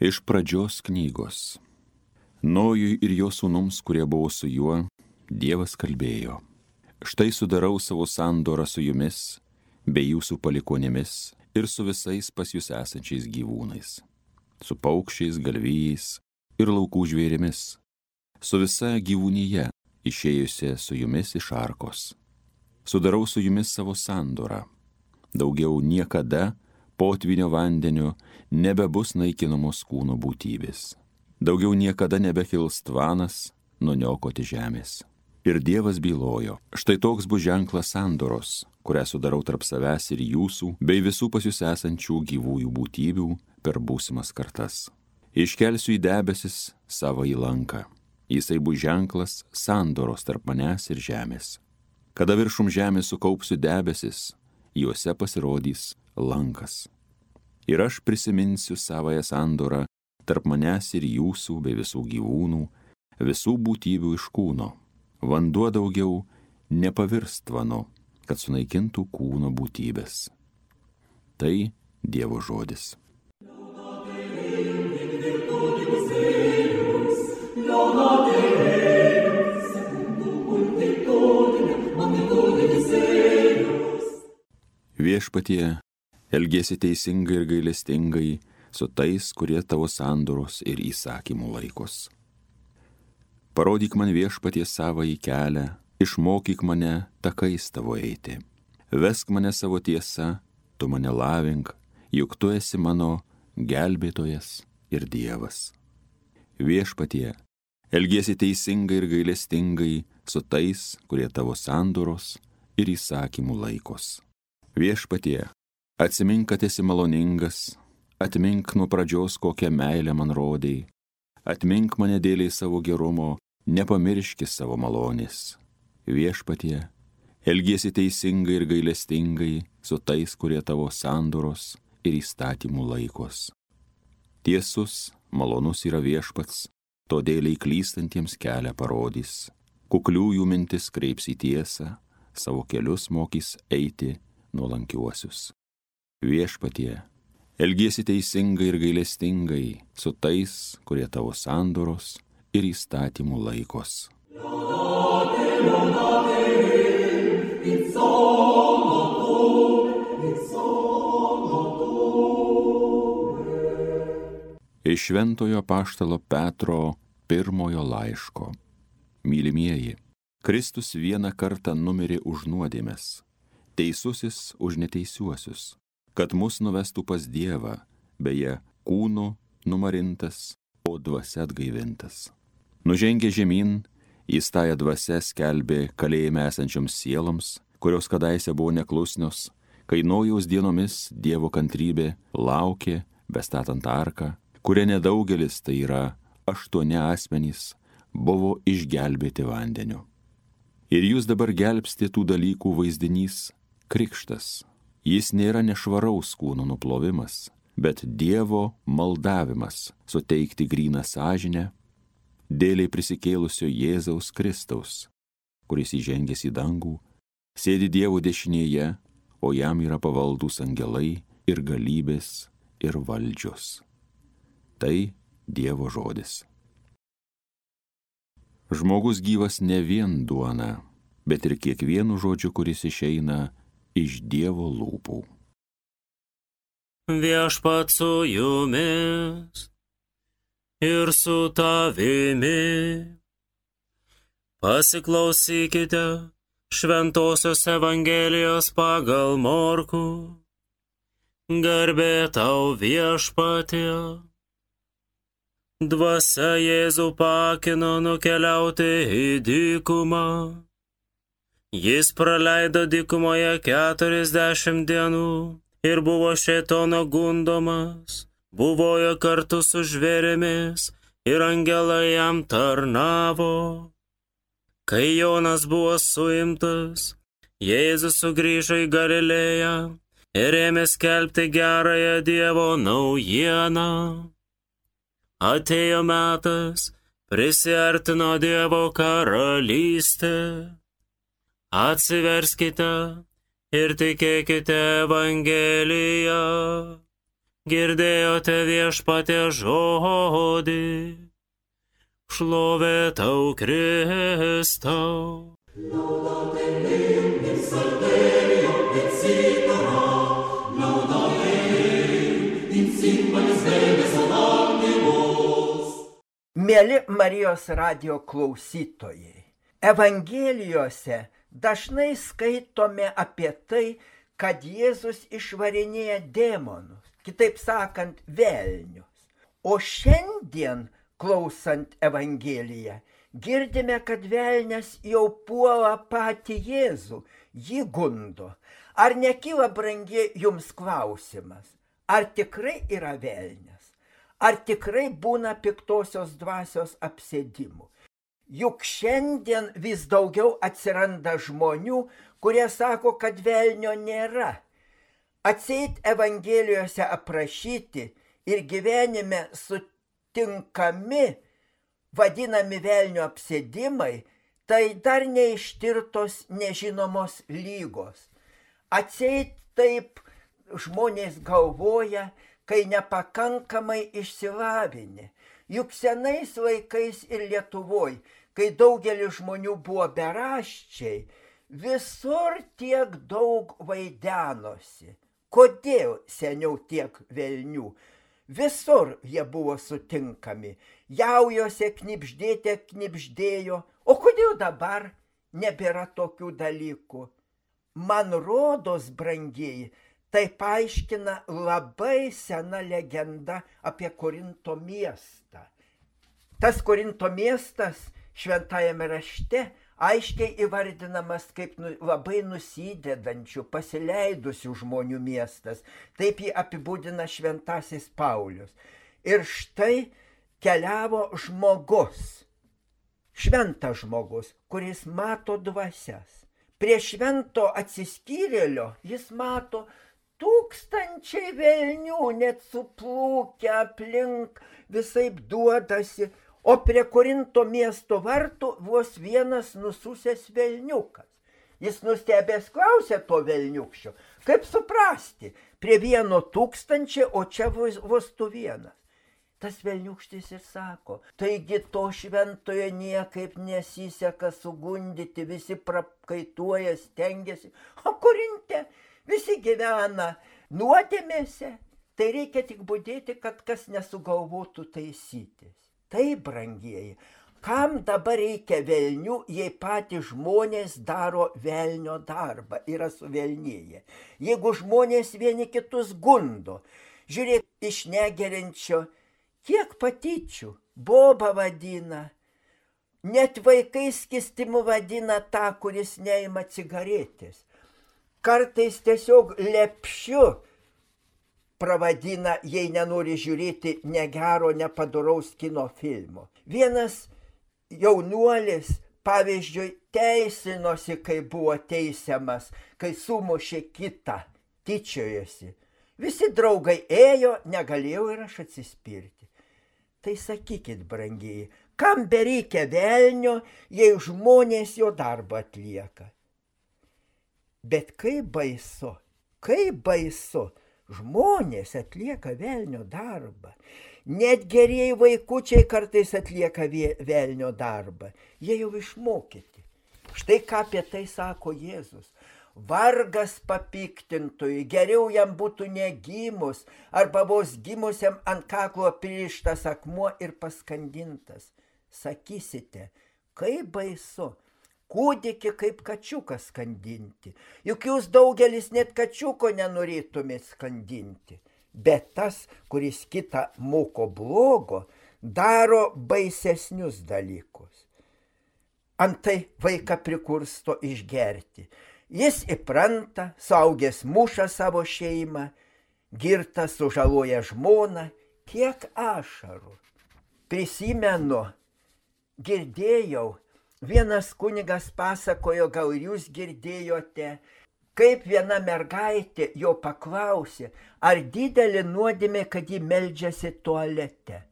Iš pradžios knygos. Nojui ir jo sūnums, kurie buvo su juo, Dievas kalbėjo: Štai sudarau savo sandorą su jumis, bei jūsų palikuonėmis ir su visais pas jūs esančiais gyvūnais, su paukščiais, galvijais ir laukų žvėrimis, su visa gyvūnyje išėjusia su jumis iš arkos. Sudarau su jumis savo sandorą. Daugiau niekada potvynio vandeniu nebebus naikinamos kūno būtybės. Daugiau niekada nebekils tvanas nuniokoti žemės. Ir Dievas bylojo: štai toks bus ženklas sandoros, kurią sudarau tarp savęs ir jūsų, bei visų pas jūs esančių gyvųjų būtybių per būsimas kartas. Iškelsiu į debesis savo į lanką. Jisai bus ženklas sandoros tarp manęs ir žemės. Kada viršum žemės sukaupsiu debesis, juose pasirodys lankas. Ir aš prisiminsiu savąją sandorą tarp manęs ir jūsų bei visų gyvūnų, visų būtybių iš kūno. Vanduo daugiau nepavirs tvanu, kad sunaikintų kūno būtybės. Tai Dievo žodis. Viešpatie, elgiesi teisingai ir gailestingai su tais, kurie tavo sandoros ir įsakymų laikos. Parodyk man, Viešpatie, savąjį kelią, išmokyk mane takais tavo eiti. Vesk mane savo tiesa, tu mane lavink, juk tu esi mano gelbėtojas ir Dievas. Viešpatie, elgiesi teisingai ir gailestingai su tais, kurie tavo sandoros ir įsakymų laikos. Viešpatie, atsimink, kad esi maloningas, atmink nuo pradžios, kokią meilę man rodei, atmink mane dėliai savo gerumo, nepamirški savo malonės. Viešpatie, elgiesi teisingai ir gailestingai su tais, kurie tavo sandoros ir įstatymų laikos. Tiesus, malonus yra Viešpats, todėl klystantiems kelią parodys. Kukliųjų mintis kreips į tiesą, savo kelius mokys eiti nuolankiuosius. Viešpatie, elgiesi teisingai ir gailestingai su tais, kurie tavo sandoros ir įstatymų laikos. Iš Šventojo apaštalo Petro pirmojo laiško. Mylimieji, Kristus vieną kartą numirė už nuodėmes, teisusis už neteisiuosius, kad mus nuvestų pas Dievą, beje, kūnu numarintas, o dvasia atgaivintas. Nužengė žemyn, jis tąją dvasią skelbė kalėjime esančioms sieloms, kurios kadaise buvo neklusnios, kai Nojaus dienomis Dievo kantrybė laukė, bestatant arką, kuria nedaugelis, tai yra 8 asmenys, buvo išgelbėti vandeniu. Ir jūs dabar gelbsti tų dalykų vaizdinys krikštas. Jis nėra nešvaraus kūno nuplovimas, bet Dievo maldavimas suteikti gryną sąžinę dėliai prisikėlusio Jėzaus Kristaus, kuris įžengęs į dangų, sėdi Dievo dešinėje, o jam yra pavaldūs angelai ir galybės ir valdžios. Tai Dievo žodis. Žmogus gyvas ne vien duona, bet ir kiekvienu žodžiu, kuris išeina iš Dievo lūpų. Viešpats su jumis ir su tavimi. Pasiklausykite Šventosios Evangelijos pagal Morkų. Garbė tau, Viešpatie. Dvasia Jėzų pakino nukeliauti į dykumą. Jis praleido dykumoje 40 dienų ir buvo šėtono gundomas, buvojo kartu su žvėrimis ir angelai jam tarnavo. Kai Jonas buvo suimtas, Jėzus sugrįžo į Galilėją ir ėmė skelbti gerąją Dievo naujieną. Atėjo metas, prisiartino Dievo karalystė. Atsiverskite ir tikėkite Evangeliją. girdėjote Viešpatie žodį. Šlovė tau, Kristau. Mieli Marijos radijo klausytojai, Evangelijose dažnai skaitome apie tai, kad Jėzus išvarinėja demonus, kitaip sakant, velnius. O šiandien, klausant Evangeliją, girdime, kad velnias jau puola patį Jėzų, jį gundo. Ar nekyla, brangi, jums klausimas, ar tikrai yra velnias? Ar tikrai būna piktosios dvasios apsėdimų? Juk šiandien vis daugiau atsiranda žmonių, kurie sako, kad velnio nėra. Atseit Evangelijose aprašyti ir gyvenime sutinkami, vadinami velnio apsėdimai, tai dar neištirtos nežinomos lygos. Atseit taip žmonės galvoja, kai nepakankamai išsilavinę. Juk senais laikais ir Lietuvoj, kai daugelis žmonių buvo beraščiai, visur tiek daug vaidenosi. Kodėl seniau tiek velnių? Visur jie buvo sutinkami. Jaujose knibždėte knibždėjo. O kodėl dabar nebėra tokių dalykų? Man rodos, brangieji, tai paaiškina labai sena legenda apie Korinto miestą. Tas Korinto miestas šventajame rašte aiškiai įvardinamas kaip labai nusidedančių, pasileidusių žmonių miestas. Taip jį apibūdina šventasis Paulius. Ir štai keliavo žmogus, šventas žmogus, kuris mato dvasias. Prie švento atsiskyrėlio jis mato tūkstančiai velnių, net suplūkę aplink, visaip duodasi, o prie Korinto miesto vartų vos vienas nususęs velniukas. Jis nustebęs klausė to velniukščio, kaip suprasti, prie 1,000, o čia vos tu vienas. Tas velniukštis ir sako, taigi to šventojo niekaip nesiseka sugundyti, visi prakaituoja, stengiasi, o Korinte visi gyvena nuodėmėse, tai reikia tik budėti, kad kas nesugalvotų taisytis. Tai, brangieji, kam dabar reikia velnių, jei patys žmonės daro velnio darbą, yra suvelnėję. Jeigu žmonės vieni kitus gundo, žiūrėk, iš negeriančio, kiek patyčių, boba vadina, net vaikai skistimu vadina tą, kuris neima cigaretės. Kartais tiesiog lepšiu pravadina, jei nenori žiūrėti negero, nepadoraus kino filmo. Vienas jaunuolis, pavyzdžiui, teisinosi, kai buvo teisiamas, kai sumušė kitą, tyčiojosi. Visi draugai ėjo, negalėjau ir aš atsispirti. Tai sakykit, brangieji, kam bereikia velnio, jei žmonės jo darbą atlieka? Bet kaip baisu, žmonės atlieka velnio darbą. Net gerieji vaikučiai kartais atlieka velnio darbą. Jie jau išmokyti. Štai ką apie tai sako Jėzus. Vargas papiktintojui, geriau jam būtų negimus, arba vos gimusiam ant kaklo pririštas akmuo ir paskandintas. Sakysite, kaip baisu. Kūdikį kaip kačiuką skandinti. Juk jūs daugelis net kačiuko nenorėtumėt skandinti. Bet tas, kuris kitą moko blogo, daro baisesnius dalykus. Antai vaiką prikursto išgerti. Jis įpranta, suaugęs muša savo šeimą, girtas sužaloja žmoną, kiek ašarų. Prisimenu, girdėjau, vienas kunigas pasakojo, gal jūs girdėjote, kaip viena mergaitė jo paklausė, ar didelė nuodėmė, kad ji meldžiasi tualete.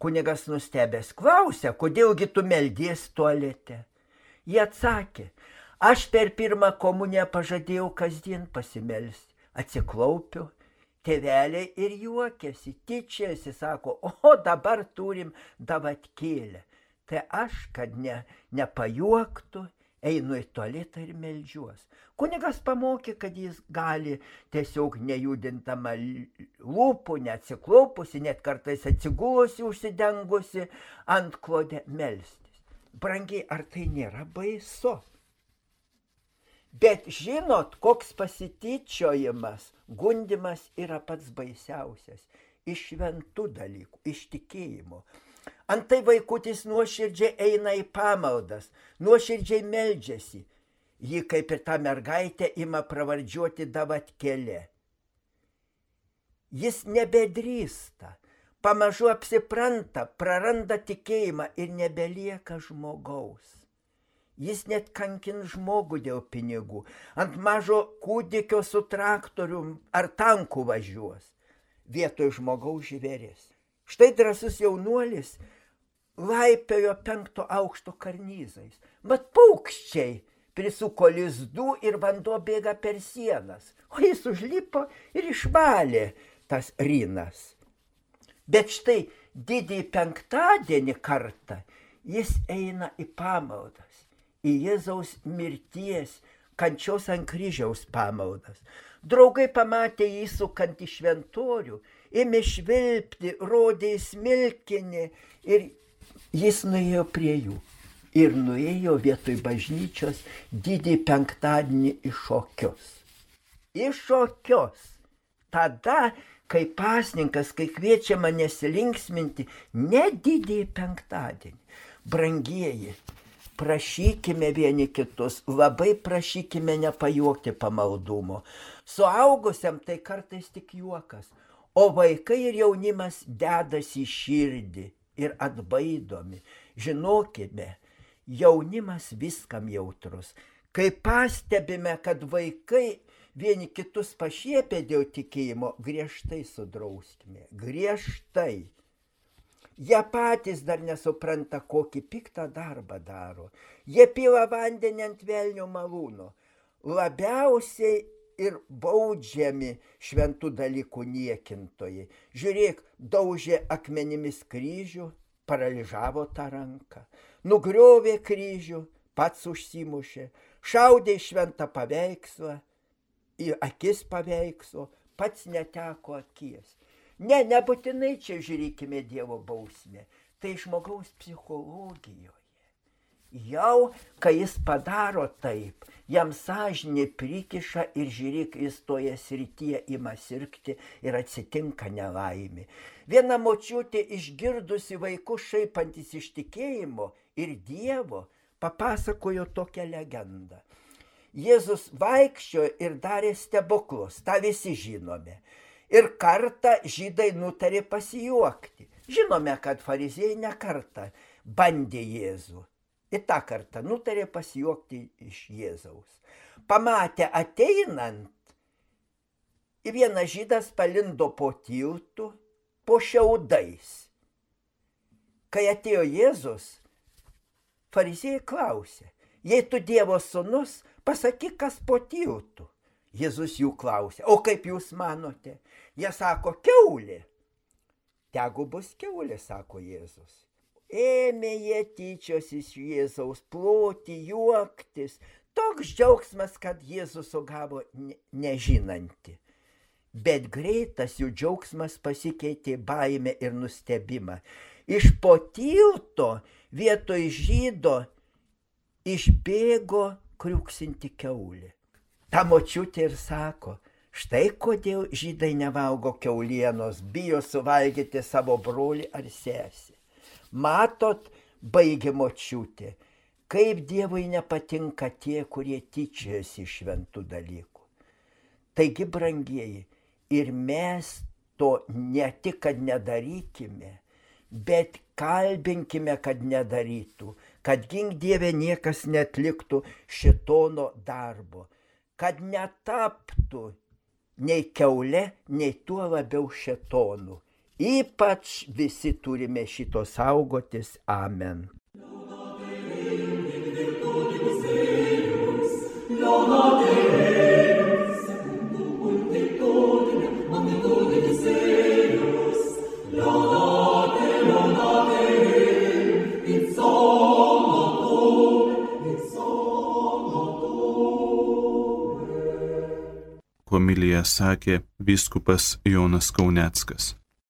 Kunigas nustebęs klausė, kodėlgi tu meldies tualete. Jie atsakė, aš per pirmą komuniją pažadėjau kasdien pasimelsti. Atsiklaupiu, Tėveliai ir juokiasi, tyčiasi, sako, o dabar turim davatkėlę. Tai aš, kad nepajuoktų, einu į tualetą ir meldžiuos. Kunigas pamokė, kad jis gali tiesiog nejudintama lūpų, neatsiklaupusi, net kartais atsigulusi, užsidengusi ant klodę melstis. Brangiai, ar tai nėra baisu? Bet žinot, koks pasityčiojimas, gundimas yra pats baisiausias. Iš šventų dalykų, iš tikėjimo. Antai vaikutis nuoširdžiai eina į pamaldas, nuoširdžiai meldžiasi. Ji, kaip ir ta mergaitė, ima pravardžiuoti davatkėlė. Jis nebedrįsta, pamažu apsipranta, praranda tikėjimą ir nebelieka žmogaus. Jis net kankins žmogų dėl pinigų. Ant mažo kūdikio su traktorium ar tanku važiuos. Vietoj žmogaus žvėris. Štai drąsus jaunuolis laipiojo 5 aukšto karnyzais. Mat paukščiai prisuko lizdų ir vanduo bėga per sienas. O jis užlipo ir išvalė tas rynas. Bet štai didįjį penktadienį kartą jis eina į pamaldas. Į Jėzaus mirties, kančios ant kryžiaus pamaldas. Draugai pamatė jį sukant į šventorių, ėmė švilpti, rodė į smilkinį ir jis nuėjo prie jų. Ir nuėjo vietoj bažnyčios didįjį penktadienį į šokius. Į šokius. Tada, kai pasninkas, kai kviečiama nesilinksminti, ne didįjį penktadienį. Brangieji, prašykime vieni kitus, labai prašykime nepajuokti pamaldumo. Suaugusiam tai kartais tik juokas, o vaikai ir jaunimas dedasi į širdį ir atbaidomi. Žinokime, jaunimas viskam jautrus. Kai pastebime, kad vaikai vieni kitus pašiepia dėl tikėjimo, griežtai sudrauskime, griežtai. Jie patys dar nesupranta, kokį piktą darbą daro. Jie pila vandenį ant velnio malūno. Labiausiai ir baudžiami šventų dalykų niekintojai. Žiūrėk, daužė akmenimis kryžių, paralyžavo tą ranką. Nugriovė kryžių, pats užsimušė. Šaudė į šventą paveikslą, į akis paveikslo, pats neteko akies. Ne, nebūtinai čia žiūrėkime Dievo bausmę. Tai žmogaus psichologijoje. Jau, kai jis padaro taip, jam sąžinė prikiša ir žiūrėk, jis toje srityje ima sirgti ir atsitinka nelaimė. Viena močiutė išgirdusi vaikus šaipantis iš tikėjimo ir Dievo papasakojo tokią legendą. Jėzus vaikščiojo ir darė stebuklus, tą visi žinome. Ir kartą žydai nutarė pasijuokti. Žinome, kad fariziejai ne kartą bandė Jėzų. Ir tą kartą nutarė pasijuokti iš Jėzaus. Pamatė ateinant, ir vienas žydas palindo po tiltu, po šiaudais. Kai atėjo Jėzus, fariziejai klausė, jei tu Dievo sūnus, pasakyk, kas po tiltu. Jėzus jų klausė, o kaip jūs manote? Jie sako, kiaulė. Tegu bus kiaulė, sako Jėzus. Ėmė jie tyčios iš Jėzaus, ploti, juoktis. Toks džiaugsmas, kad Jėzus sugavo nežinantį. Bet greitas jų džiaugsmas pasikeitė baimę ir nustebimą. Iš po tilto vietoj žydo išbėgo kriuksinti kiaulė. Ta močiutė ir sako, štai kodėl žydai nevalgo kiaulienos, bijo suvalgyti savo brolį ar sesę. Matot, baigė močiutė, kaip Dievui nepatinka tie, kurie tyčiojasi iš šventų dalykų. Taigi, brangieji, ir mes to ne tik, kad nedarykime, bet kalbinkime, kad nedarytų, kad gink Dieve niekas netliktų šėtono darbo. Kad netaptų nei kiaule, nei tuo labiau šėtonu. Ypač visi turime šito saugotis. Amen. Amen. homiliją sakė vyskupas Jonas Kauneckas.